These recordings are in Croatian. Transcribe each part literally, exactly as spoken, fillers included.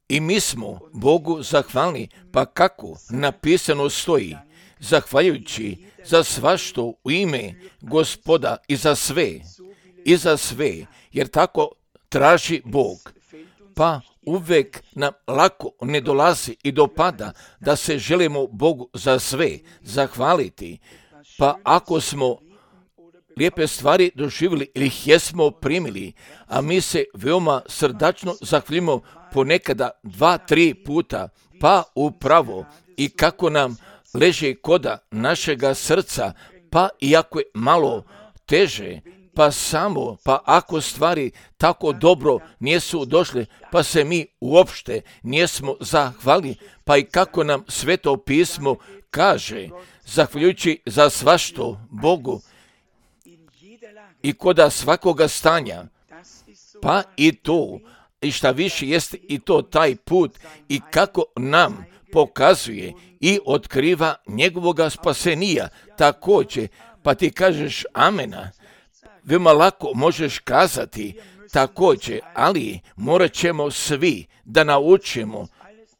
I mi smo Bogu zahvalni, pa kako napisano stoji, zahvaljujući za svašto u ime Gospoda i za sve, i za sve, jer tako traži Bog. Pa uvek nam lako ne dolazi i dopada da se želimo Bogu za sve zahvaliti. Pa ako smo lijepe stvari doživjeli ili ih jesmo primili, a mi se veoma srdačno zahvaljujemo ponekada dva, tri puta, pa upravo i kako nam leže koda našega srca, pa iako je malo teže, pa samo, pa ako stvari tako dobro nijesu došle, pa se mi uopšte nijesmo zahvali, pa i kako nam Sveto pismo kaže, zahvaljujući za svašto Bogu i koda svakoga stanja, pa i to, i šta više jeste i to taj put i kako nam pokazuje i otkriva njegovoga spasenija također, pa ti kažeš amena, veoma lako možeš kazati također, ali morat ćemo svi da naučimo,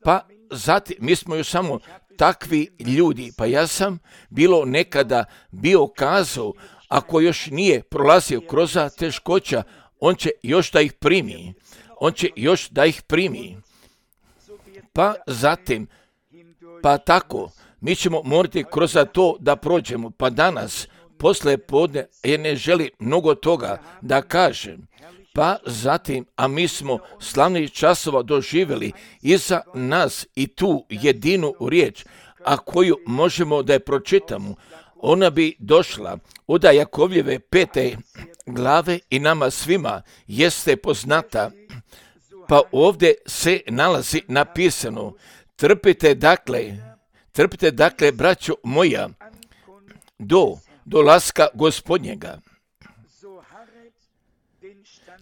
pa zatim mi smo još samo takvi ljudi, pa ja sam bilo nekada bio kazao, ako još nije prolazio kroz teškoća, on će još da ih primi, on će još da ih primi, pa zatim, pa tako, mi ćemo morati kroz to da prođemo, pa danas, posle podne, jer ne želi mnogo toga da kažem, pa zatim, a mi smo slavnih časova doživjeli iza nas i tu jedinu riječ, a koju možemo da je pročitamo, ona bi došla od Jakovljeve pete glave i nama svima jeste poznata, pa ovdje se nalazi napisano, trpite dakle, trpite dakle, braćo moja, do dolaska Gospodnjega.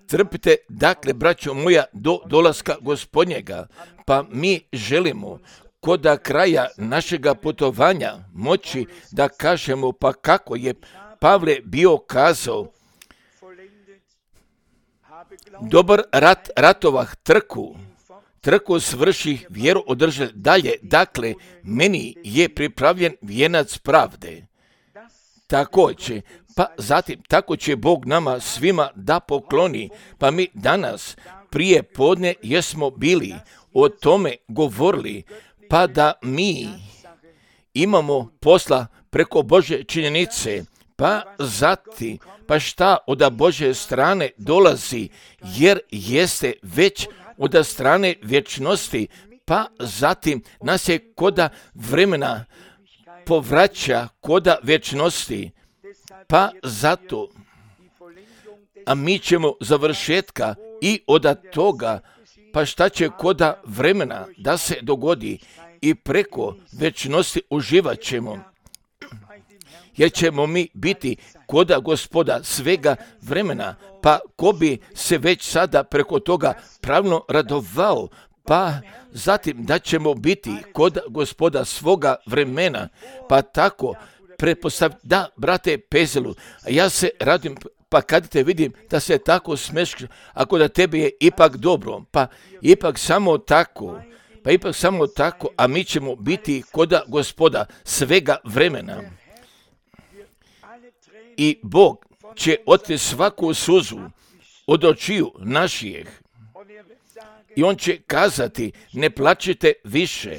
Trpite dakle, braćo moja, do dolaska Gospodnjega, pa mi želimo koda kraja našega putovanja moći da kažemo, pa kako je Pavle bio kazao, dobar rat ratovah trku, trku svrših, vjeru održal dalje, dakle, meni je pripravljen vijenac pravde. Tako će, pa zatim, tako će Bog nama svima da pokloni, pa mi danas prije podne jesmo bili o tome govorili, pa da mi imamo posla preko Božje činjenice, pa zatim, pa šta od Božje strane dolazi, jer jeste već od strane vječnosti, pa zatim nas je koda vremena povraća koda vječnosti, pa zato, a mi ćemo završetka i od toga, pa šta će koda vremena da se dogodi i preko vječnosti uživat ćemo, jer ćemo mi biti koda Gospoda svega vremena, pa ko bi se već sada preko toga pravno radovao, pa zatim da ćemo biti kod Gospoda svoga vremena, pa tako pretpostaviti, da, brate Pezelu, ja se radim, pa kad te vidim da se tako smeš, ako da tebi je ipak dobro, pa ipak samo tako, pa ipak samo tako, a mi ćemo biti koda Gospoda svega vremena. I Bog će oteti svaku suzu od očiju naših. I on će kazati, ne plačite više,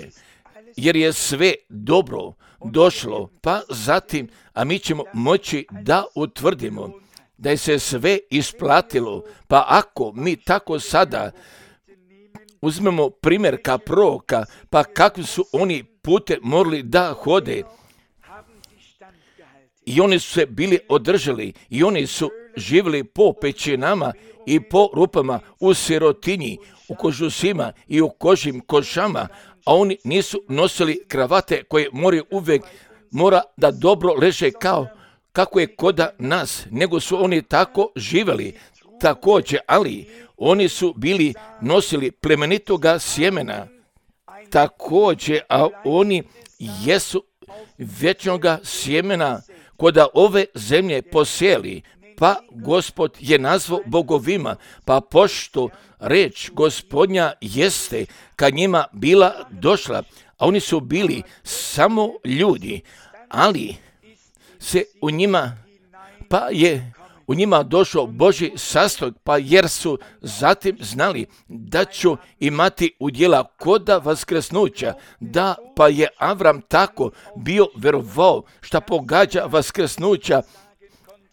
jer je sve dobro došlo, pa zatim, a mi ćemo moći da utvrdimo da je se sve isplatilo, pa ako mi tako sada uzmemo primjer ka proroka, pa kakvi su oni pute morali da hode, i oni su se bili održali, i oni su živjeli po pećinama i po rupama u sirotinji, u kožusima i u kožim košama, a oni nisu nosili kravate koje moraju uvijek mora da dobro leže kao kako je koda nas, nego su oni tako živjeli također, ali oni su bili nosili plemenitoga sjemena također, a oni jesu vječnoga sjemena koda ove zemlje posjeli, pa Gospod je nazvao bogovima, pa pošto reč Gospodnja jeste kad njima bila došla, a oni su bili samo ljudi, ali se u njima, pa je u njima došao Božji sastojak, pa jer su zatim znali da ću imati udjela koda vaskrsnuća, da pa je Avram tako bio verovao šta pogađa vaskrsnuća,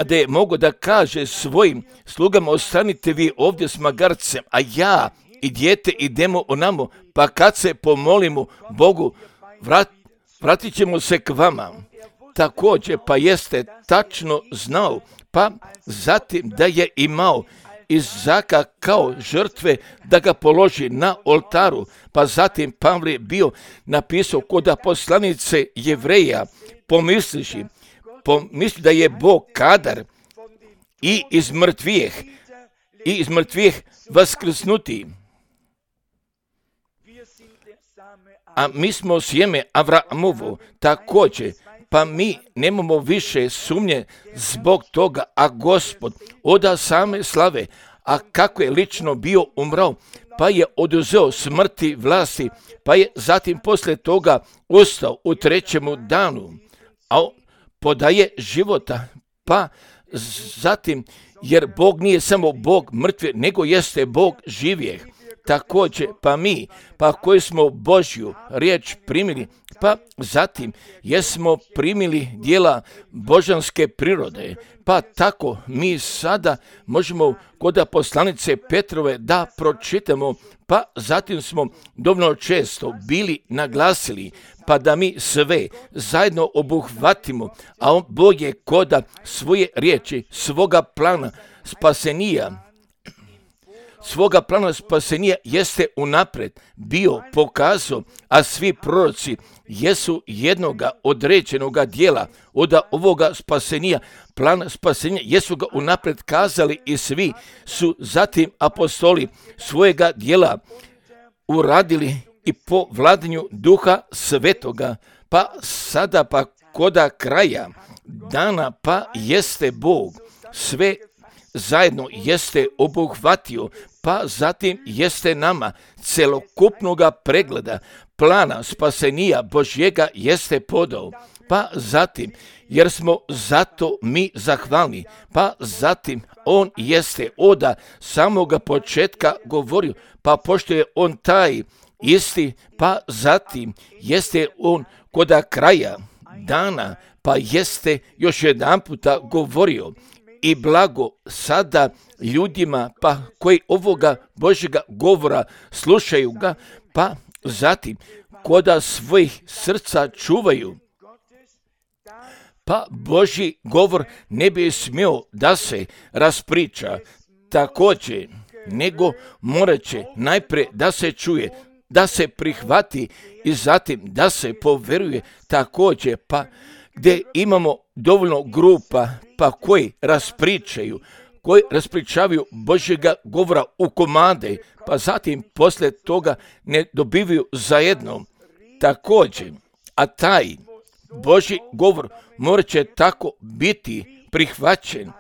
da je mogo da kaže svojim slugama, ostanite vi ovdje s magarcem, a ja i dijete idemo onamo, pa kad se pomolimo Bogu, vrat, vratit ćemo se k vama. Također, pa jeste tačno znao, pa zatim da je imao Izaka kao žrtve da ga položi na oltaru, pa zatim Pavle je bio napisao kod poslanice Jevreja, pomisliši, pomisli da je Bog kadar i iz mrtvijeh, i iz mrtvijeh vaskrsnuti. A mi smo sjeme Avramovo također, pa mi nemamo više sumnje zbog toga, a Gospod oda same slave, a kako je lično bio umrao, pa je oduzeo smrti vlasti, pa je zatim poslije toga ustao u trećemu danu, a podaje života, pa zatim, jer Bog nije samo Bog mrtve, nego jeste Bog živijeh. Također, pa mi, pa koji smo Božju riječ primili, pa zatim jesmo primili dijela božanske prirode, pa tako mi sada možemo kod poslanice Petrove da pročitamo, pa zatim smo dovoljno često bili naglasili, pa da mi sve zajedno obuhvatimo, a on Bog je koda svoje riječi, svoga plana spasenija, svoga plana spasenija jeste unaprijed bio pokazao, a svi proroci jesu jednoga određenoga dijela od ovoga spasenija, plana spasenja, jesu ga unaprijed kazali i svi su zatim apostoli svojega dijela uradili i po vladanju Duha Svetoga, pa sada pa koda kraja dana pa jeste Bog sve zajedno jeste obuhvatio, pa zatim jeste nama celokupnoga pregleda plana spasenija Božjega jeste podao, pa zatim jer smo zato mi zahvalni, pa zatim on jeste oda samoga početka govorio, pa pošto je on taj isti, pa zatim jeste on koda kraja dana, pa jeste još jedan puta govorio i blago sada ljudima pa koji ovoga Božjega govora slušaju ga, pa zatim koda svojih srca čuvaju, pa Božji govor ne bi smio da se raspriča također, nego morat će najprije da se čuje, da se prihvati i zatim da se poveruje također, pa gdje imamo dovoljno grupa pa koji raspričaju, koji raspričavaju Božjega govora u komade, pa zatim poslije toga ne dobivaju zajedno također, a taj Božji govor morat će tako biti prihvaćen,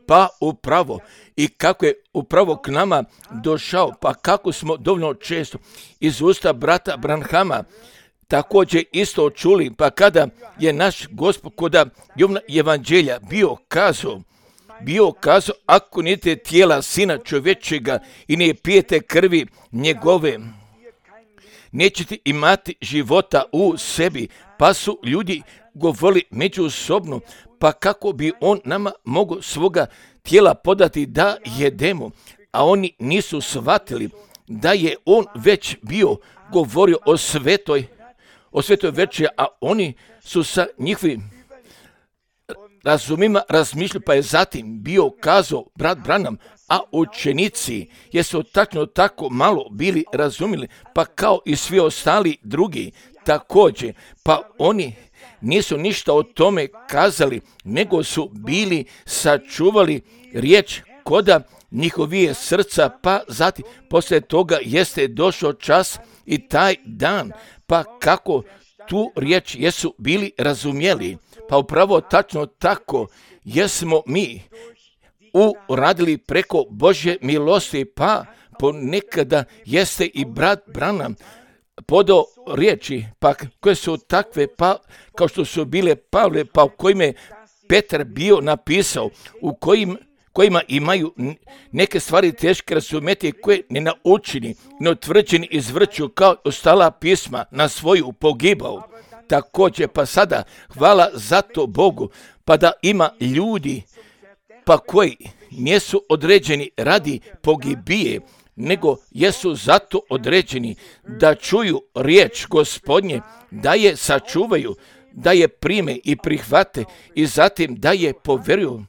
pa upravo i kako je upravo k nama došao, pa kako smo dovoljno često iz usta brata Branhama također isto čuli, pa kada je naš Gospod koda Jovana evanđelja bio kazao, bio kazao, ako nite tijela Sina čovječega i ne pijete krvi njegove, nećete imati života u sebi, pa su ljudi govorili međusobno, pa kako bi on nama mogao svoga tijela podati da jedemo, a oni nisu shvatili da je on već bio govorio o svetoj o svetoj večeri, a oni su sa njihovim razumima razmišljali, pa je zatim bio kazao brat Branham, a učenici jesu tačno tako malo bili razumjeli, pa kao i svi ostali drugi također, pa oni nisu ništa o tome kazali, nego su bili sačuvali riječ koda njihovije srca, pa zatim poslije toga jeste došao čas i taj dan, pa kako tu riječ jesu bili razumjeli, pa upravo tačno tako jesmo mi uradili preko Božje milosti, pa ponekada jeste i brat Branham podao riječi, pa koje su takve, pa kao što su bile Pavle, pa u kojima je Petar bio napisao, u kojim, kojima imaju neke stvari teške razumjeti, koje ne naučeni, neutvrđeni izvrću kao ostala pisma na svoju pogibao. Također, pa sada, hvala za to Bogu, pa da ima ljudi, pa koji nisu određeni radi pogibije, nego jesu zato određeni da čuju riječ Gospodnje, da je sačuvaju, da je prime i prihvate i zatim da je poveruju.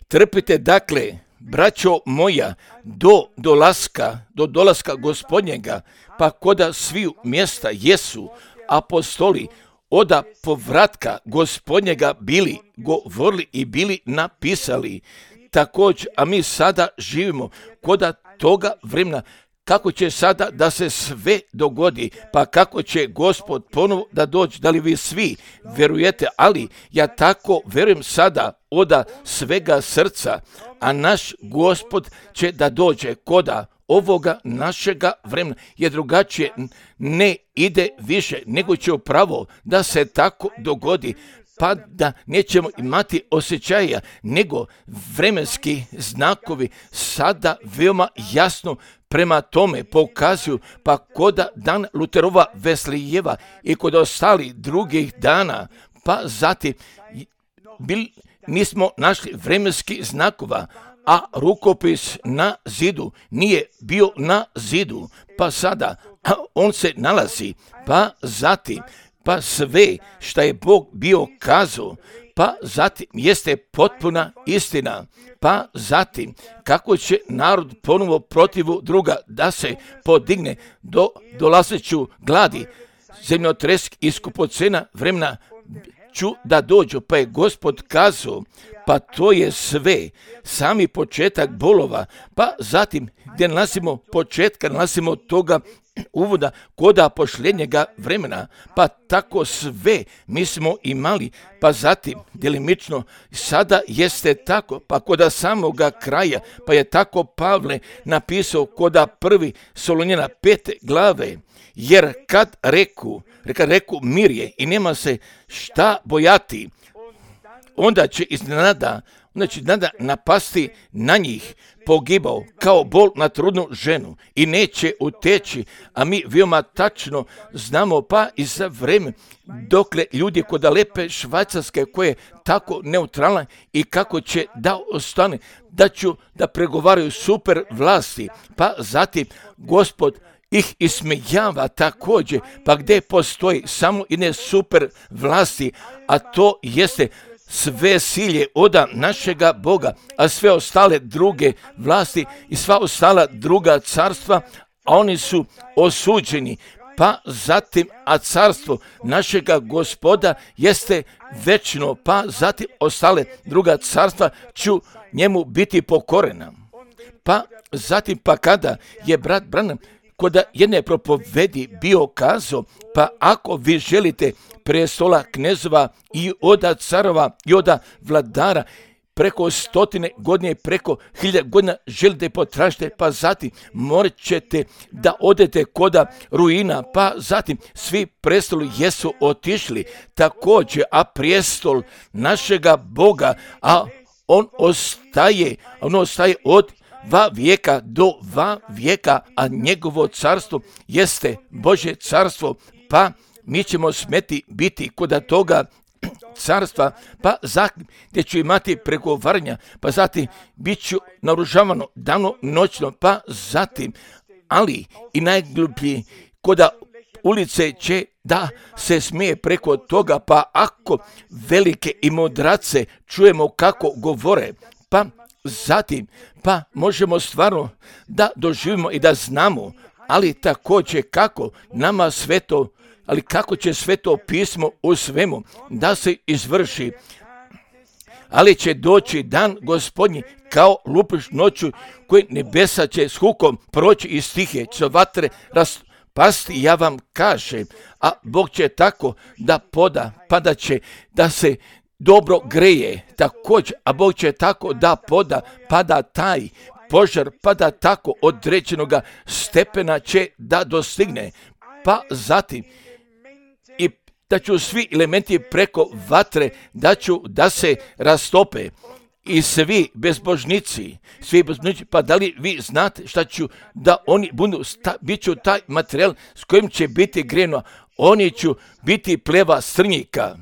Trpite dakle, braćo moja, do dolaska, do dolaska Gospodnjega, pa koda sviju mjesta jesu apostoli oda povratka Gospodnjega bili govorili i bili napisali. Također, a mi sada živimo koda toga vremena, kako će sada da se sve dogodi, pa kako će Gospod ponovo da dođe, da li vi svi verujete, ali ja tako verujem sada oda svega srca, a naš Gospod će da dođe koda ovoga našega vremena, je drugačije ne ide više, nego će upravo da se tako dogodi, pa da nećemo imati osjećaja, nego vremenski znakovi sada veoma jasno prema tome pokazuju, pa koda dan Luterova Veslijeva i kod ostali drugih dana, pa zatim bil, nismo našli vremenski znakova, a rukopis na zidu nije bio na zidu, pa sada on se nalazi, pa zatim pa sve što je Bog bio kazao, pa zatim jeste potpuna istina, pa zatim kako će narod ponovo protivu druga da se podigne do dolazeću gladi, zemljotresk i skupocena vremena ću da dođu, pa je Gospod kazao, pa to je sve, sami početak bolova, pa zatim gdje nalazimo početka, nalazimo toga uvoda koda pošljednjega vremena, pa tako sve mi smo imali, pa zatim djelimično sada jeste tako, pa koda samoga kraja, pa je tako Pavle napisao koda prvi Solunjana pete glave, jer kad reku, kad reku mir je i nema se šta bojati, onda će iznenada, onda će iznenada napasti na njih pogibao kao bol na trudnu ženu i neće uteći, a mi veoma tačno znamo pa i za vreme dokle ljudi koda lepe Švajcarske koje je tako neutralna i kako će da ostane, da ću da pregovaraju super vlasti, pa zatim Gospod ih ismejava također, pa gdje postoji samo jedne super vlasti, a to jeste sve silje oda našega Boga, a sve ostale druge vlasti i sva ostala druga carstva, a oni su osuđeni, pa zatim, a carstvo našega Gospoda jeste večno, pa zatim ostale druga carstva ću njemu biti pokorena. Pa zatim, pa kada je brat Branham koda jedne propovedi bio kazao, pa ako vi želite prestola knezova i oda carova i oda vladara preko stotine godine, preko hiljada godina želite potražite, pa zatim morat ćete da odete koda ruina, pa zatim svi prestoli jesu otišli također, a prijestol našega Boga, a on ostaje, on ostaje od va vijeka do va vijeka, a njegovo carstvo jeste Božje carstvo, pa mi ćemo smeti biti koda toga carstva, pa zatim gdje ću imati pregovaranja, pa zatim bit ću naoružavano dano noćno, pa zatim, ali i najgluplji koda ulice će da se smije preko toga, pa ako velike i mudrace čujemo kako govore, pa zatim, pa možemo stvarno da doživimo i da znamo, ali također kako nama sve to, ali kako će sve to pismo u svemu da se izvrši. Ali će doći dan Gospodnji kao lupiš noću, koji nebesa će s hukom proći iz stihe, će vatre raspasti, ja vam kažem, a Bog će tako da poda, pa da će da se dobro greje, također, a Bog će tako da poda, pa da taj požar, pa da tako određenoga stepena će da dostigne, pa zatim i da ću svi elementi preko vatre, da ću da se rastope i svi bezbožnici, svi bezbožnici, pa da li vi znate šta ću, da oni budu, sta, bit ću taj materijal s kojim će biti greno, oni ću biti pleva strnjika.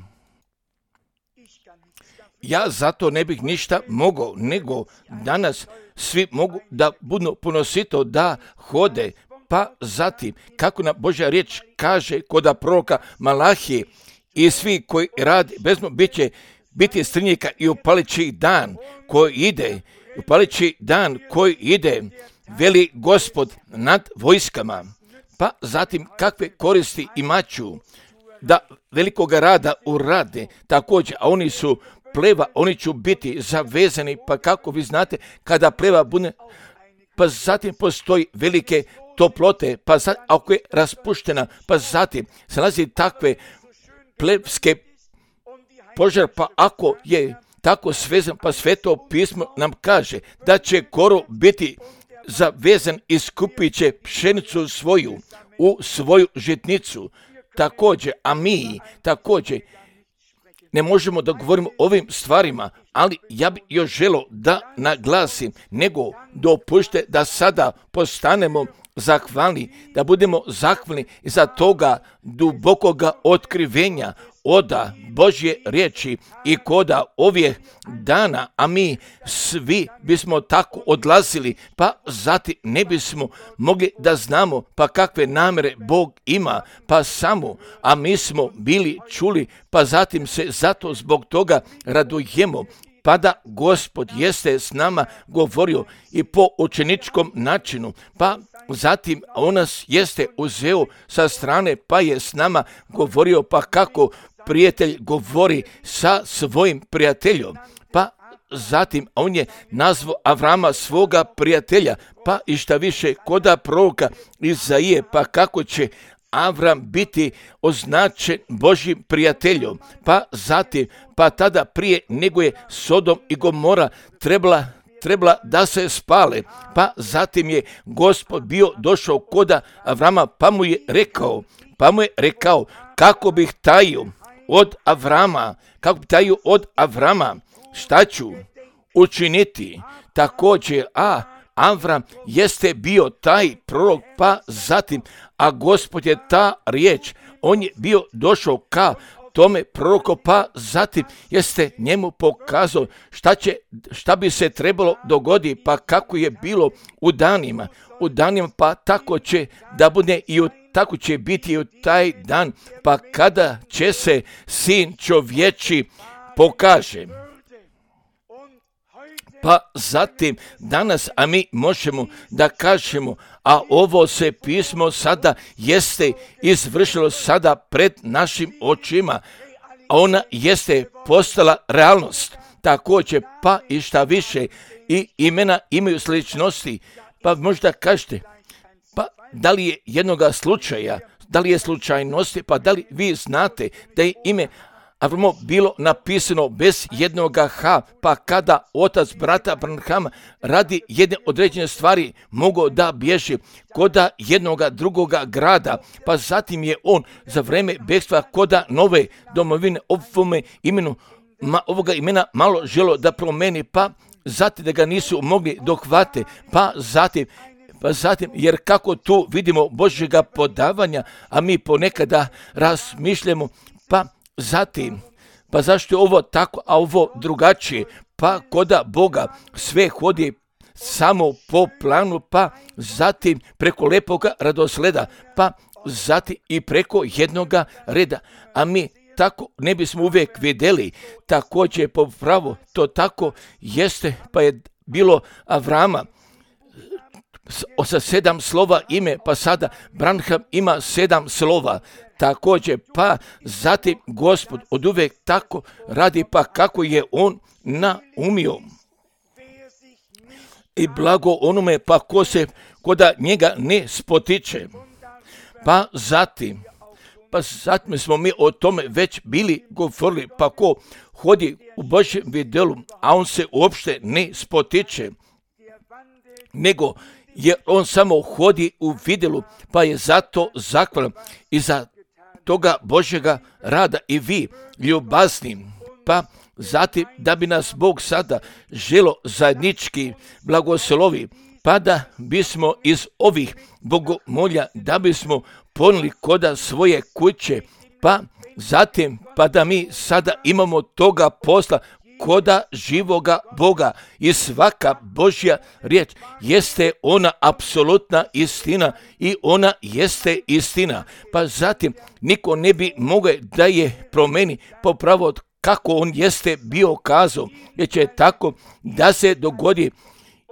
Ja zato ne bih ništa mogao, nego danas svi mogu da budu ponosito da hode, pa zatim, kako nam Božja riječ kaže kod proroka Malahije, i svi koji radi bezmo bit će biti strnjika i upalići dan koji ide, upalići dan koji ide, veli Gospod nad vojskama, pa zatim kakve koristi imaću da velikoga rada urade, također, a oni su pleva, oni će biti zavezani, pa kako vi znate, kada pleva bude, pa zatim postoji velike toplote, pa zatim, ako je raspuštena, pa zatim se nalazi takve plevske požar, pa ako je tako svezan, pa Sveto pismo nam kaže da će korov biti zavezan i skupit će pšenicu svoju u svoju žitnicu. Također, a mi također ne možemo da govorimo o ovim stvarima, ali ja bih još želio da naglasim, nego dopušte da sada postanemo zahvalni, da budemo zahvalni za toga dubokoga otkrivenja oda Božje riječi i koda ovih dana, a mi svi bismo tako odlazili, pa zatim ne bismo mogli da znamo pa kakve namere Bog ima, pa samo, a mi smo bili čuli, pa zatim se zato zbog toga radujemo, pa da Gospod jeste s nama govorio i po učeničkom načinu, pa zatim on nas jeste uzeo sa strane, pa je s nama govorio, pa kako prijatelj govori sa svojim prijateljom, pa zatim on je nazvao Avrama svoga prijatelja, pa i šta više koda proroka Izaije, pa kako će Avram biti označen Božjim prijateljom, pa zatim, pa tada prije nego je Sodom i Gomora trebala trebala da se spale, pa zatim je Gospod bio došao koda Avrama, pa mu je rekao, pa mu je rekao kako bih tajio od Avrama, kako bih tajio od Avrama, šta ću učiniti. Također, a Avram jeste bio taj prorok, pa zatim, a Gospod je ta riječ, on je bio došao ka tome proroku, pa zatim jeste njemu pokazao šta, će, šta bi se trebalo dogoditi, pa kako je bilo u danima, u danima, pa tako će da bude i u, tako će biti i u taj dan, pa kada će se Sin čovječi pokaže. Pa zatim danas, a mi možemo da kažemo, a ovo se pismo sada jeste izvršilo sada pred našim očima, a ona jeste postala realnost. Također, pa i šta više, i imena imaju sličnosti, pa možda kažete, pa da li je jednoga slučaja, da li je slučajnosti, pa da li vi znate da je ime Avramo bilo napisano bez jednoga H, pa kada otac brata Branhama radi jedne određene stvari mogao da bježi koda jednoga drugoga grada, pa zatim je on za vreme bekstva koda nove domovine ovome imenu, ma, ovoga imena malo želo da promeni, pa zatim da ga nisu mogli dohvate, pa zatim Pa zatim, jer kako tu vidimo Božjega podavanja, a mi ponekada razmišljamo, pa zatim, pa zašto je ovo tako, a ovo drugačije, pa koda Boga sve hodi samo po planu, pa zatim preko lepoga radosleda, pa zatim i preko jednoga reda, a mi tako ne bismo uvijek vidjeli, također po pravu to tako jeste, pa je bilo Avrama sa sedam slova ime, pa sada Branham ima sedam slova, također, pa zatim Gospod od uvijek tako radi, pa kako je on naumio. I blago onome, pa ko se koda njega ne spotiče. Pa zatim, pa zatim smo mi o tome već bili govorili, pa ko hodi u Božjem vidjelu, a on se uopšte ne spotiče, nego jer on samo hodi u vidjelu, pa je zato zahvalan i za toga Božjega rada i vi ljubazni, pa zatim da bi nas Bog sada želo zajednički blagoslovi, pa da bismo iz ovih bogomolja, da bismo ponijeli koda svoje kuće, pa zatim pa da mi sada imamo toga posla koda živoga Boga i svaka Božja riječ jeste ona apsolutna istina i ona jeste istina. Pa zatim niko ne bi mogao da je promeni popravo kako on jeste bio kazao, jer će tako da se dogodi,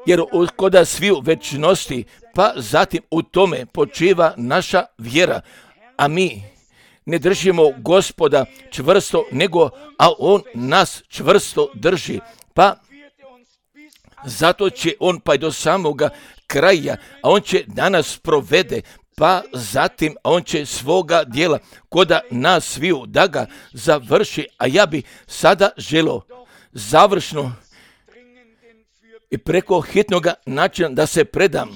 jer koda svi u večnosti, pa zatim u tome počiva naša vjera, a mi ne držimo Gospoda čvrsto, nego a on nas čvrsto drži, pa zato će on pa i do samoga kraja, a on će danas provede, pa zatim on će svoga djela koda nas sviju da ga završi, a ja bi sada želio završno i preko hitnoga načina da se predam,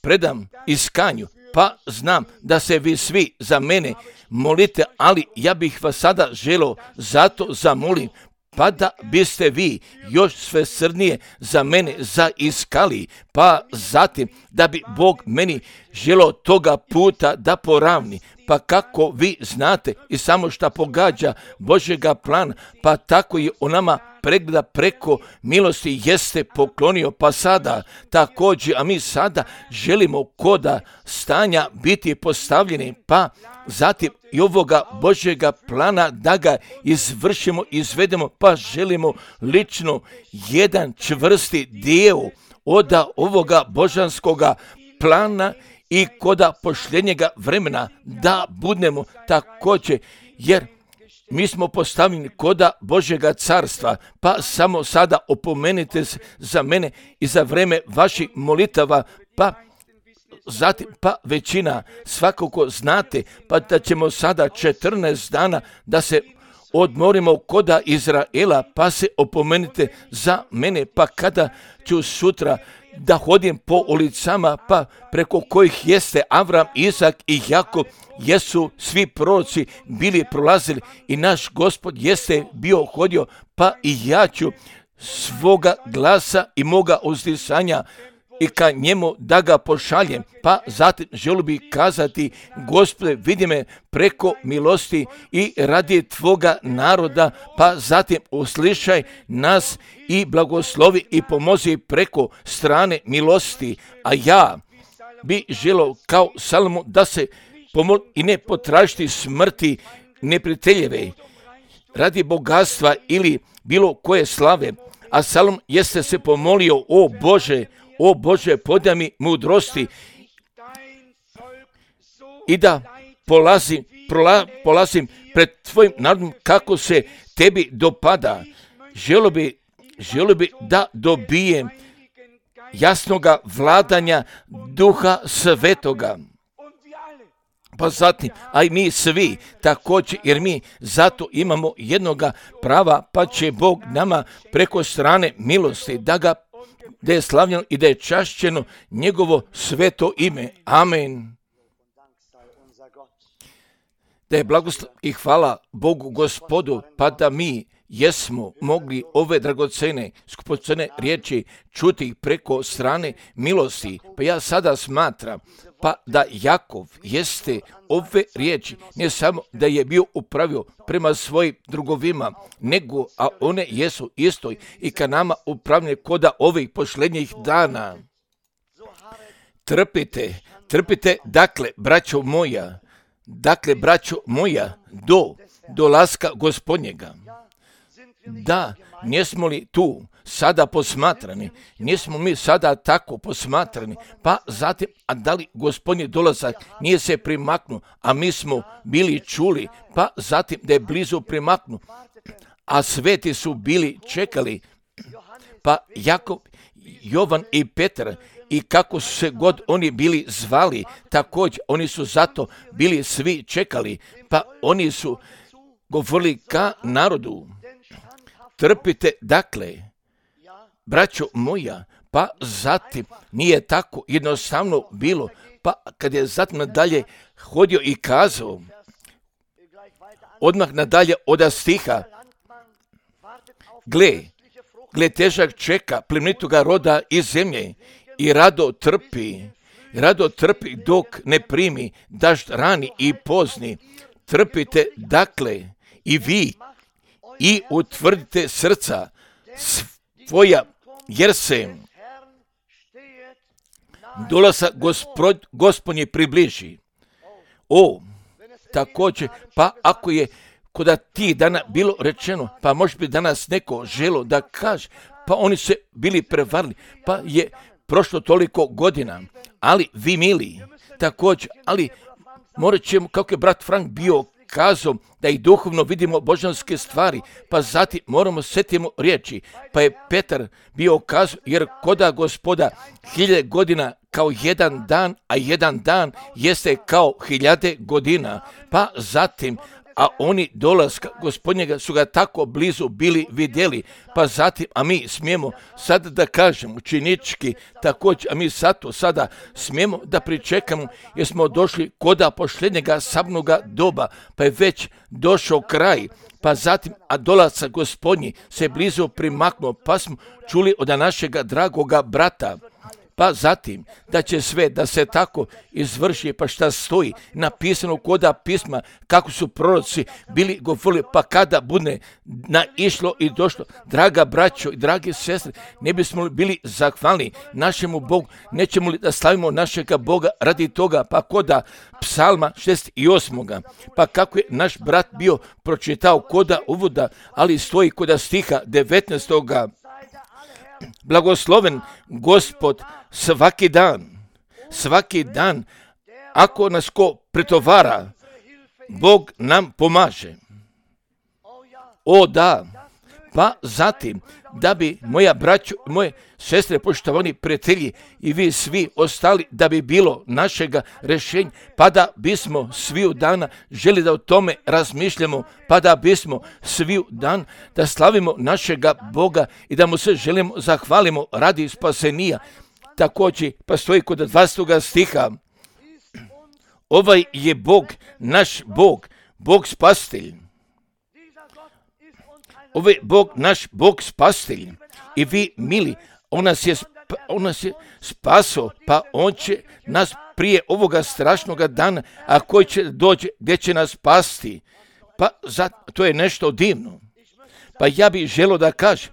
predam iskanju, pa znam da se vi svi za mene molite, ali ja bih vas sada želio zato zamolim, pa da biste vi još sve srdnije za mene zaiskali, pa zatim da bi Bog meni želio toga puta da poravni, pa kako vi znate i samo šta pogađa Božjega plana, pa tako je o nama pregleda preko milosti jeste poklonio, pa sada također, a mi sada želimo koda stanja biti postavljeni, pa zatim i ovoga Božjega plana da ga izvršimo, izvedemo, pa želimo lično jedan čvrsti dio od ovoga božanskoga plana i koda pošljenjega vremena da budemo također, jer mi smo postavljeni koda Božjega carstva, pa samo sada opomenite se za mene i za vreme vaših molitava, pa zatim pa većina svakako znate, pa da ćemo sada četrnaest dana da se odmorimo koda Izraela, pa se opomenite za mene, pa kada ću sutra da hodim po ulicama, pa preko kojih jeste Avram, Izak i Jakov, jesu svi proroci bili prolazili i naš Gospod jeste bio hodio, pa i ja ću svoga glasa i moga uzdisanja i ka njemu da ga pošaljem, pa zatim želio bih kazati, Gospode, vidi me preko milosti i radi tvoga naroda, pa zatim uslišaj nas i blagoslovi i pomozi preko strane milosti, a ja bi želio kao Salomo da se pomoli i ne potražiti smrti neprijateljeve radi bogatstva ili bilo koje slave, a Salom jeste se pomolio, o Bože, o Bože, podaj mi mudrosti i da polazim, prola, polazim pred tvojim narodom kako se tebi dopada. Želio bi, želio bi da dobijem jasnoga vladanja Duha Svetoga. Pa zatim, a i mi svi također, jer mi zato imamo jednoga prava, pa će Bog nama preko strane milosti da ga da je slavljeno i da je čašćeno njegovo sveto ime. Amen. Da je blagoslov i hvala Bogu Gospodu, pa da mi jesmo mogli ove dragocene, skupocene riječi čuti preko strane milosti. Pa ja sada smatram pa da Jakov jeste ove riječi ne samo da je bio upravio prema svojim drugovima, nego a one jesu istoj i ka nama upravljene koda ovih posljednjih dana. Trpite, trpite, dakle, braćo moja, dakle, braćo moja, do dolaska Gospodnjega. Da, nismo li tu sada posmatrani, nismo mi sada tako posmatrani, pa zatim, a da li Gospodnji dolazak nije se primaknuo, a mi smo bili čuli, pa zatim da je blizu primaknuo, a sveti su bili čekali, pa Jakov, Jovan i Petar i kako su se god oni bili zvali, također oni su zato bili svi čekali, pa oni su govorili ka narodu, trpite dakle, braćo moja, pa zatim nije tako jednostavno bilo, pa kad je zatim nadalje hodio i kazao, odmah nadalje od stiha, gle, gle težak čeka plemenitoga roda iz zemlje i rado trpi, rado trpi dok ne primi dažd rani i pozni. Trpite dakle i vi i utvrdite srca svoja, jer se dolazak gospod, gospodnje približi. O, također, pa ako je kod tih dana bilo rečeno, pa možda bi danas neko želo da kaže, pa oni se bili prevarili, pa je prošlo toliko godina, ali vi mili, također, ali morat ćemo, kako je brat Frank bio kazao, da i duhovno vidimo božanske stvari, pa zatim moramo setimo riječi, pa je Petar bio kazao, jer koda gospoda hiljade godina kao jedan dan, a jedan dan jeste kao hiljade godina, pa zatim, a oni dolaska gospodnjega su ga tako blizu bili vidjeli, pa zatim, a mi smijemo sada da kažemo učenički također, a mi zato sada smijemo da pričekamo, jer smo došli koda posljednjega sabnoga doba, pa je već došao kraj, pa zatim, a dolazak gospodnji se blizu primaknuo, pa smo čuli od našega dragoga brata, pa zatim da će sve da se tako izvrši, pa šta stoji napisano koda pisma, kako su proroci bili govorili, pa kada bude naišlo i došlo, draga braćo i drage sestre, ne bismo li bili zahvalni našemu Bogu, nećemo li da slavimo našega Boga radi toga, pa koda psalma šezdeset osam. Pa kako je naš brat bio pročitao koda uvoda, ali stoji koda stiha devetnaestog. Blagosloven Gospod svaki dan, svaki dan, ako nas ko pretovara, Bog nam pomaže. O da, pa zatim, da bi moja braćo, moje sestre, poštovani prijatelji i vi svi ostali, da bi bilo našega rješenja, pa da bismo svi u dana želi da o tome razmišljamo, pa da bismo svi u dan da slavimo našega Boga i da mu se želimo zahvalimo radi spasenija. Također, pa stoji kod dvadesetog stiha, ovaj je Bog, naš Bog, Bog spasitelj. Ovaj Bog, naš Bog spasitelj. I vi, mili, on nas je, on nas je spaso, pa on će nas prije ovoga strašnoga dana, a koji će doći, gdje će nas spasti. Pa za, to je nešto divno. Pa ja bih želio da kažem,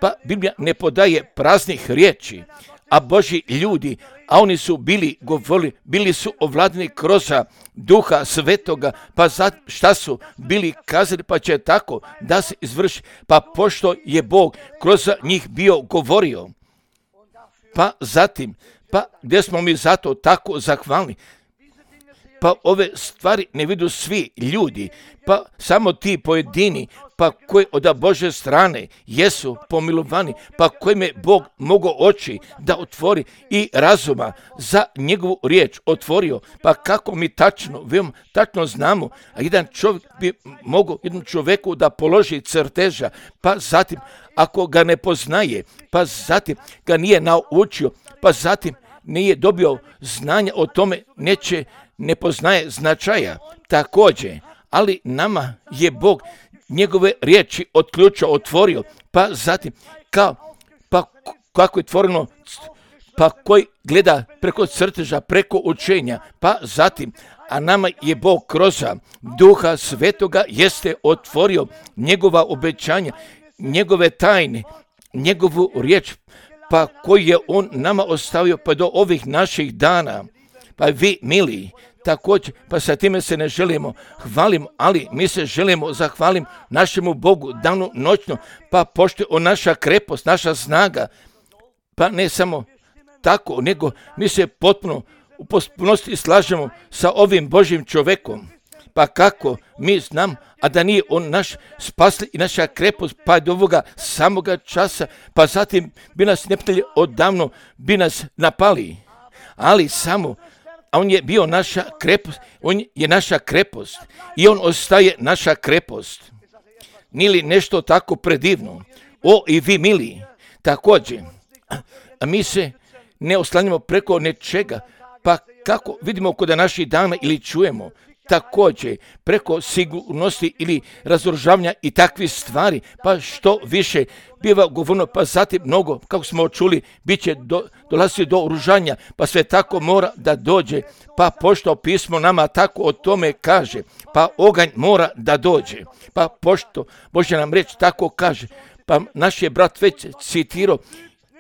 pa Biblija ne podaje praznih riječi, a Božji ljudi, a oni su bili govorili, bili su ovladani kroz Duha Svetoga, pa za šta su bili kazali, pa će tako da se izvrši, pa pošto je Bog kroz njih bio govorio, pa zatim, pa gdje smo mi zato tako zahvalni, pa ove stvari ne vidu svi ljudi, pa samo ti pojedini, pa koji od Bože strane jesu pomilovani, pa kojim je Bog mogao oči da otvori i razuma za njegovu riječ otvorio, pa kako mi tačno, veoma tačno znamo, a jedan čovjek bi mogao jednom čovjeku da položi crteža, pa zatim ako ga ne poznaje, pa zatim ga nije naučio, pa zatim nije dobio znanja o tome, neće, ne poznaje značaja također, ali nama je Bog njegove riječi od ključa otvorio, pa zatim kao, pa kako je otvoreno, pa koji gleda preko crteža, preko učenja, pa zatim, a nama je Bog kroz Duha Svetoga jeste otvorio njegova obećanja, njegove tajne, njegovu riječ, pa koji je on nama ostavio pa do ovih naših dana. Pa vi, mili, također, pa sa time se ne želimo hvalimo, ali mi se želimo zahvalim našemu Bogu danu noćno, pa pošto on naša krepost, naša snaga, pa ne samo tako, nego mi se potpuno u potpunosti slažemo sa ovim Božjim čovjekom. Pa kako mi znam, a da nije on naš spasitelj i naša krepost, pa do ovoga samoga časa, pa zatim bi nas neprijatelji odavno bi nas napali. Ali samo, a on je bio naša krepost, on je naša krepost i on ostaje naša krepost. Nije li nešto tako predivno? O, i vi mili, također, a mi se ne oslanjamo preko nečega, pa kako vidimo kod naših dana ili čujemo, također preko sigurnosti ili razoružavanja i takvih stvari, pa što više biva govorno, pa zatim mnogo, kako smo čuli, bit će do, dolazi do oružanja, pa sve tako mora da dođe, pa pošto pismo nama tako o tome kaže, pa oganj mora da dođe, pa pošto Božja nam reč tako kaže, pa naš je brat već citirao,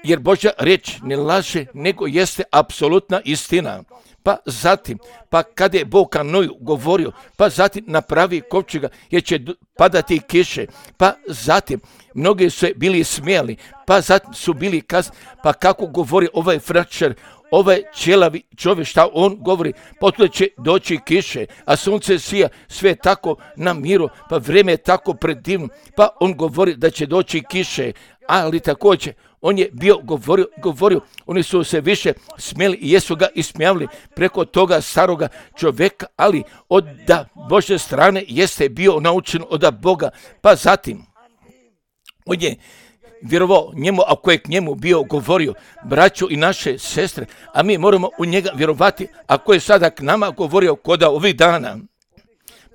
jer Božja reč ne laže, nego jeste apsolutna istina. Pa zatim, pa kada je Bog Noju govorio, pa zatim napravi kovčega jer će padati kiše, pa zatim mnogi su bili smijali, pa zatim su bili kazni, pa kako govori ovaj fračer, ovaj ćelavi čovjek, šta on govori, potom će doći kiše, a sunce sija, sve tako na miru, pa vrijeme je tako predivno, pa on govori da će doći kiše, ali također on je bio govorio, govorio, oni su se više smjeli i jesu ga ismijavili preko toga staroga čovjeka, ali od da Božje strane jeste bio naučen od Boga, pa zatim on je vjerovao njemu, ako je k njemu bio govorio, braćo i naše sestre, a mi moramo u njega vjerovati, ako je sada k nama govorio koda ovih dana.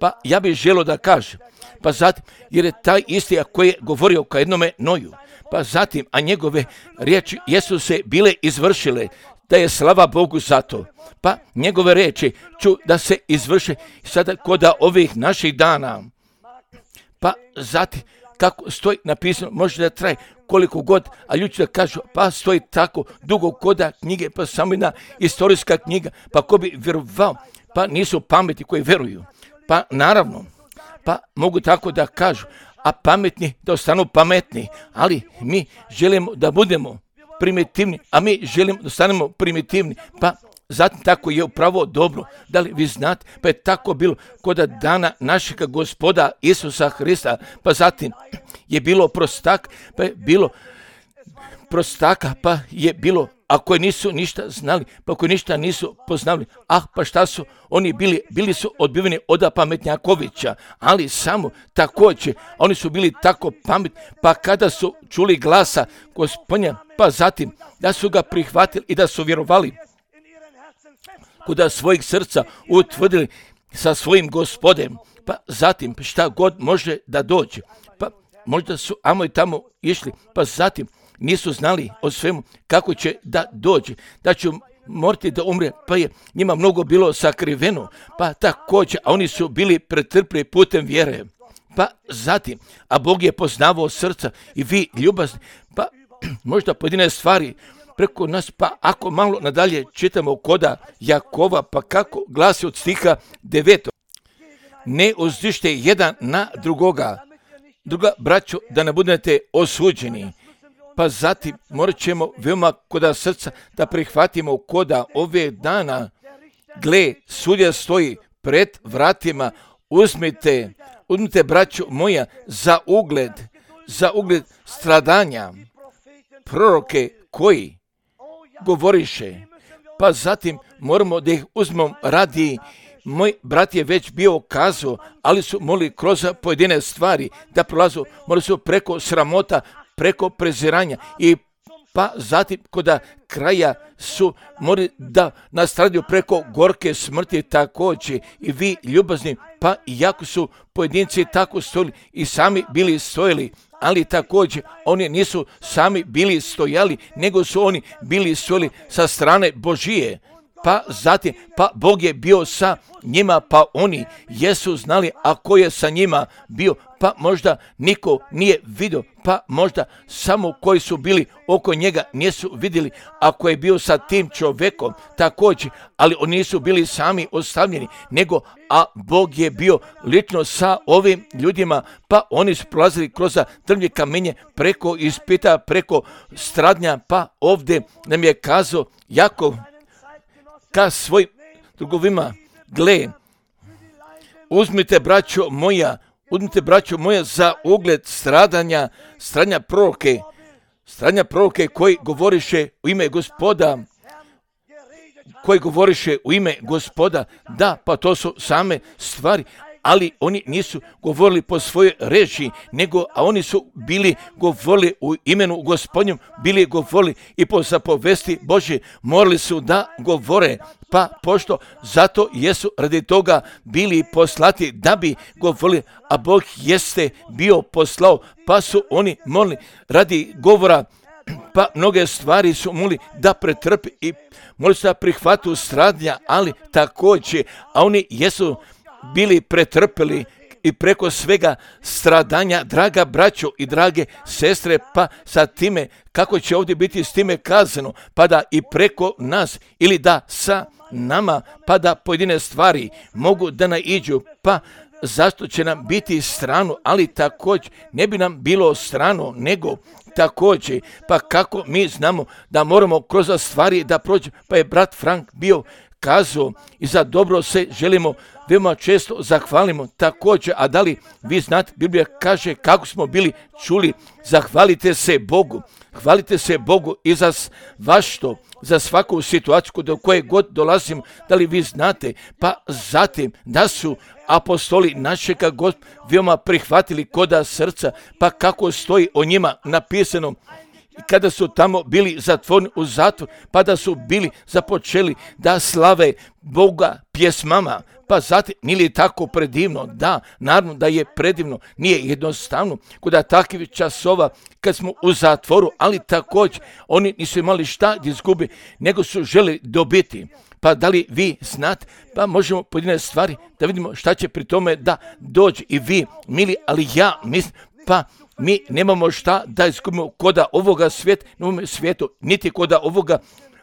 Pa ja bih želio da kažem, pa zatim, jer je taj isti ako je govorio ka jednome Noju, pa zatim, a njegove riječi jesu se bile izvršile, da je slava Bogu za to. Pa njegove riječi ću da se izvrše sada koda ovih naših dana. Pa zatim, kako stoji napisano, može da traje koliko god, a ljudi da kažu, pa stoji tako dugo koda knjige, pa samo jedna istorijska knjiga, pa ko bi vjerovao, pa nisu pameti koji vjeruju. Pa naravno, pa mogu tako da kažu, a pametni da ostanu pametni, ali mi želimo da budemo primitivni, a mi želimo da ostanemo primitivni, pa zatim tako je upravo dobro. Da li vi znate, pa je tako bilo kod dana našega Gospoda Isusa Hrista, pa zatim je bilo prostak, pa je bilo prostaka, pa je bilo, a koji nisu ništa znali, pa koji ništa nisu poznali, ah, pa šta su oni bili, bili su odbiveni od pametnjakovića, ali samo također, oni su bili tako pametni, pa kada su čuli glasa Gospodnja, pa zatim da su ga prihvatili i da su vjerovali, kuda svojih srca utvrdili sa svojim Gospodem, pa zatim šta god može da dođe, pa možda su amo i tamo išli, pa zatim nisu znali o svemu kako će da dođe, da će morati da umre, pa je njima mnogo bilo sakriveno, pa također, a oni su bili pretrpli putem vjere. Pa zatim, a Bog je poznavao srca i vi ljubazni, pa možda pojedine stvari preko nas, pa ako malo nadalje čitamo koda Jakova, pa kako glasi od stiha devetog. Ne uzdište jedan na drugoga, druga braćo, da ne budete osuđeni. Pa zatim morat ćemo veoma koda srca da prihvatimo koda ove dana. Gle, sudja stoji pred vratima, uzmite, uzmite braćo moja za ugled, za ugled stradanja, proroke koji govoriše, pa zatim moramo da ih uzmemo radi. Moj brat je već bio kazao, ali su morali kroz pojedine stvari da prolazu, morali su preko sramota, preko preziranja i pa zatim koda kraja su morali da nastradaju preko gorke smrti također i vi ljubazni, pa iako su pojedinci tako stojili i sami bili stojili, ali također oni nisu sami bili stojali, nego su oni bili stojili sa strane Božije. Pa zatim, pa Bog je bio sa njima, pa oni jesu znali, a ko je sa njima bio, pa možda niko nije vidio, pa možda samo koji su bili oko njega nisu vidjeli, ako je bio sa tim čovjekom također, ali oni nisu bili sami ostavljeni, nego a Bog je bio lično sa ovim ljudima, pa oni su prolazili kroz drvlje kamenje, preko ispita, preko stradnja, pa ovdje nam je kazao Jakov ka svojim drugovima, gle, uzmite, braćo moja, uzmite, braćo moja, za ugled stradanja, stradanja proroke, stradanja proroke koji govoriše u ime Gospoda, koji govoriše u ime Gospoda. Da, pa to su same stvari, ali oni nisu govorili po svojoj reči, nego, a oni su bili govorili u imenu Gospodnjem, bili govorili i po zapovesti Božje, morali su da govore, pa pošto zato jesu radi toga bili poslati da bi govorili, a Bog jeste bio poslao, pa su oni molili radi govora, pa mnoge stvari su mogli da pretrpi i mogli su da prihvatu stradnja, ali također, a oni jesu bili pretrpeli i preko svega stradanja, draga braćo i drage sestre, pa sa time, kako će ovdje biti s time kazano, pa da i preko nas ili da sa nama, pa da pojedine stvari mogu da naiđu, pa zašto će nam biti strano, ali također ne bi nam bilo strano, nego također, pa kako mi znamo da moramo kroz stvari da prođemo, pa je brat Frank bio kazao i za dobro se želimo veoma često zahvalimo također, a da li vi znate, Biblija kaže kako smo bili čuli, zahvalite se Bogu, hvalite se Bogu i za vašto, za svaku situaciju do koje god dolazimo, da li vi znate, pa zatim da su apostoli našega Gospoda veoma prihvatili koda srca, pa kako stoji o njima napisano, kada su tamo bili zatvoreni u zatvor, pa da su bili započeli da slave Boga pjesmama, pa zatim, nije li tako predivno? Da, naravno da je predivno, nije jednostavno, kod takvih časova kad smo u zatvoru, ali također oni nisu imali šta da izgubi, nego su želi dobiti. Pa da li vi znate, pa možemo pojedine stvari da vidimo šta će pri tome da dođe i vi, mili, ali ja mislim, pa mi nemamo šta da izgubimo koda ovoga svijeta, nemamo svijetu, niti koda ovoga,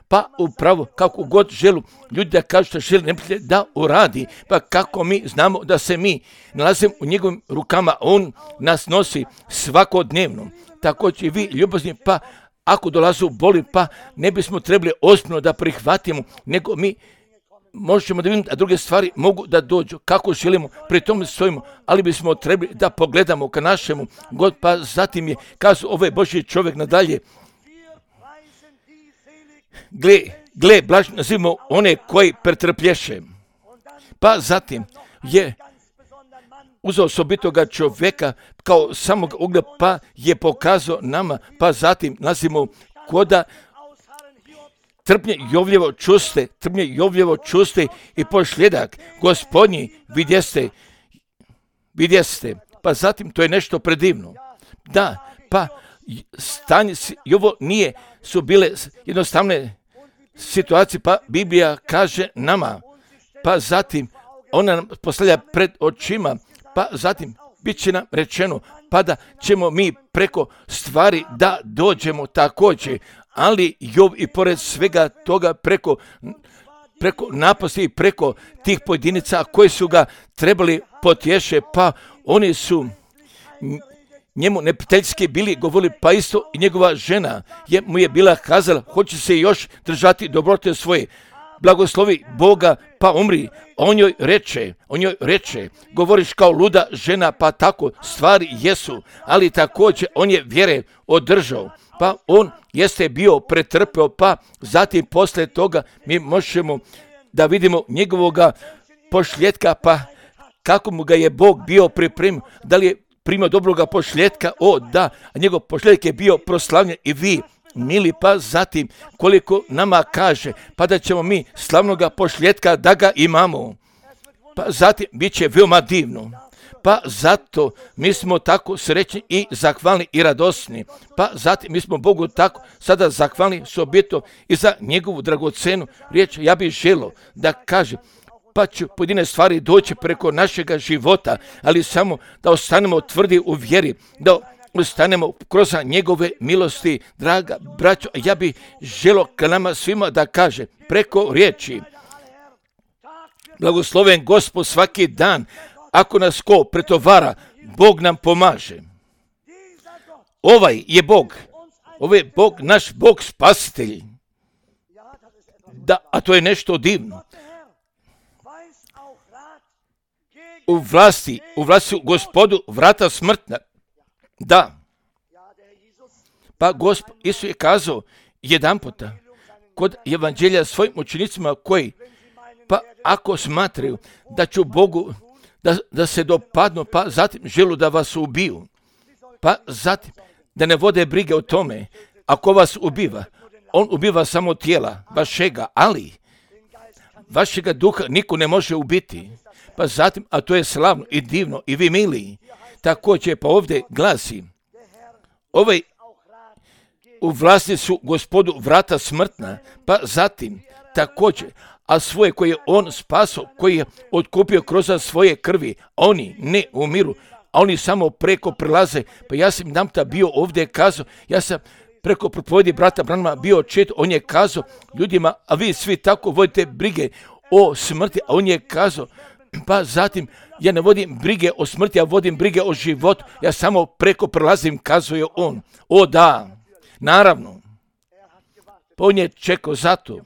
pa upravo kako god želu ljudi da kažu što želi neprijatelj da uradi, pa kako mi znamo da se mi nalazimo u njegovim rukama, on nas nosi svakodnevno. Također i vi ljubazni, pa ako dolazu boli, pa ne bismo trebali ozbiljno da prihvatimo, nego mi možemo da vidimo da druge stvari mogu da dođu kako želimo, pri tome stojimo, ali bismo trebali da pogledamo ka našemu God, pa zatim je kazao ovaj Božji čovjek nadalje, gle, gle, blaženi nazivamo one koji pretrplješe. Pa zatim je uzeo osobitoga čovjeka kao samog ugleda, pa je pokazao nama, pa zatim nazivamo koda trpnje Jovljevo čuste, trpnje Jovljevo čuste i pošljedak Gospodnji vidjeste, vidjeste. Pa zatim to je nešto predivno. Da, pa stanje, i ovo nije, su bile jednostavne situacije, pa Biblija kaže nama, pa zatim ona nam postavlja pred očima, pa zatim bit će nam rečeno, pa da ćemo mi preko stvari da dođemo također, ali Jov i pored svega toga preko, preko napasti i preko tih pojedinica koji su ga trebali potješe, pa oni su njemu neprijateljski bili govorili, pa isto i njegova žena je, mu je bila kazala, hoće se još držati dobrote svoje, blagoslovi Boga, pa umri. On joj reče, on joj reče, govoriš kao luda žena, pa tako stvari jesu, ali također on je vjere održao, pa on jeste bio pretrpeo, pa zatim posle toga mi možemo da vidimo njegovoga pošljetka, pa kako mu ga je Bog bio pripremio, da li je primio dobroga pošljetka, o da, a njegov pošljetak je bio proslavljen i vi, mili, pa zatim koliko nama kaže, pa da ćemo mi slavnoga pošljetka da ga imamo, pa zatim bit će veoma divno, pa zato mi smo tako srećni i zahvalni i radosni, pa zatim mi smo Bogu tako sada zahvalni s objetom i za njegovu dragocenu riječ. Ja bih želio da kaže, pa će pojedine stvari doći preko našega života, ali samo da ostanemo tvrdi u vjeri, da ostanemo kroz njegove milosti, draga braćo. Ja bih želio ka nama svima da kaže preko riječi, blagosloven Gospod svaki dan, ako nas ko pretovara, Bog nam pomaže. Ovaj je Bog, ovaj je Bog, naš Bog spasitelj. Da, a to je nešto divno. u vlasti, u vlasti Gospodu vrata smrtna. Da. Pa Gospod Isus je kazao jedan puta kod evanđelja svojim učenicima koji, pa ako smatraju da ću Bogu da, da se dopadnu, pa zatim želu da vas ubiju, pa zatim da ne vode brige o tome, ako vas ubiva, on ubiva samo tijela vašega, ali vašega duha niko ne može ubiti. Pa zatim, a to je slavno i divno i vi mili. Također pa ovdje glasi, ovaj u vlasti su Gospodu vrata smrtna, pa zatim također, a svoje koje je on spasao, koji je otkupio kroz svoje krvi, oni ne umiru, a oni samo preko prelaze. Pa ja sam nam ta bio ovdje kazao, ja sam preko propovjedi brata Branhama bio čet, on je kazao ljudima, a vi svi tako vodite brige o smrti, a on je kazao, pa zatim ja ne vodim brige o smrti, ja vodim brige o životu, ja samo preko prelazim, kazuje on. O da, naravno, pa on je čekao zato,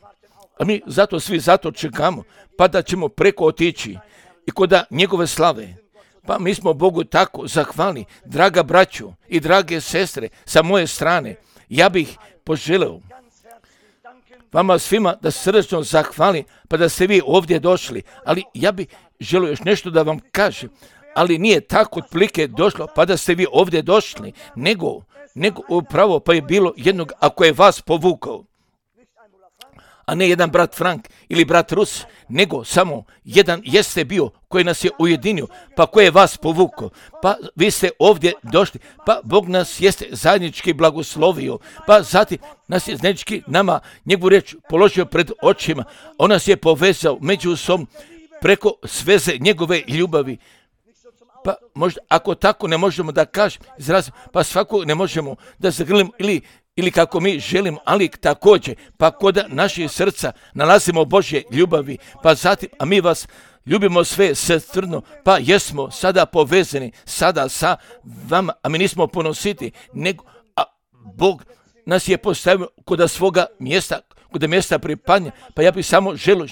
a mi zato svi zato čekamo, pa da ćemo preko otići i kod njegove slave. Pa mi smo Bogu tako zahvalni, draga braćo i drage sestre, sa moje strane, ja bih poželeo vama svima da srdečno zahvalim, pa da ste vi ovdje došli, ali ja bih želio još nešto da vam kažem, ali nije tako otprilike došlo, pa da ste vi ovdje došli, nego, nego upravo pa je bilo jednog, ako je vas povukao, a ne jedan brat Frank ili brat Rus, nego samo jedan jeste bio koji nas je ujedinio, pa koji je vas povukao, pa vi ste ovdje došli, pa Bog nas jeste zajednički blagoslovio, pa zatim nas je zajednički nama njegovu riječ položio pred očima, on nas je povezao međusobno preko sveze njegove ljubavi. Pa možda ako tako ne možemo da kažem, izrazim, pa svako ne možemo da zagrlimo ili ili kako mi želimo, ali također, pa kod naših srca nalazimo Božje ljubavi, pa zatim, a mi vas ljubimo sve srcrno, pa jesmo sada povezani, sada sa vama, a mi nismo ponositi, nego, a Bog nas je postavio kod svoga mjesta, kod mjesta pripadnja, pa ja bih samo želio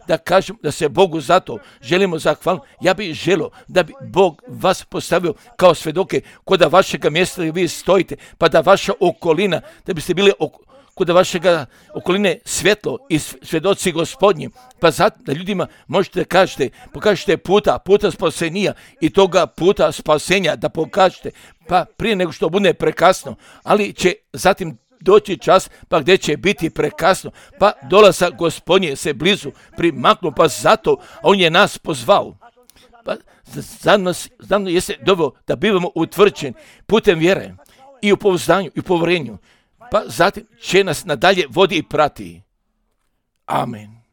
da kažem da se Bogu zato želimo zahvaliti. Ja bih želio da bi Bog vas postavio kao svedoke kod vašega mjesta gdje vi stojite, pa da vaša okolina, da biste bili ok- kod vašega okoline svjetlo i svjedoci Gospodnji, pa zato da ljudima možete da kažete, pokažete puta, puta spasenija i toga puta spasenja da pokažete, pa prije nego što bude prekasno, ali će zatim doći čas, pa gdje će biti prekasno, pa dolazak Gospodnje se blizu primaknu, pa zato on je nas pozvao. Pa za nas, za nas jeste doveo da bivamo utvrđeni putem vjere i u pouzdanju i u povjerenju, pa zatim će nas nadalje vodi i prati. Amen.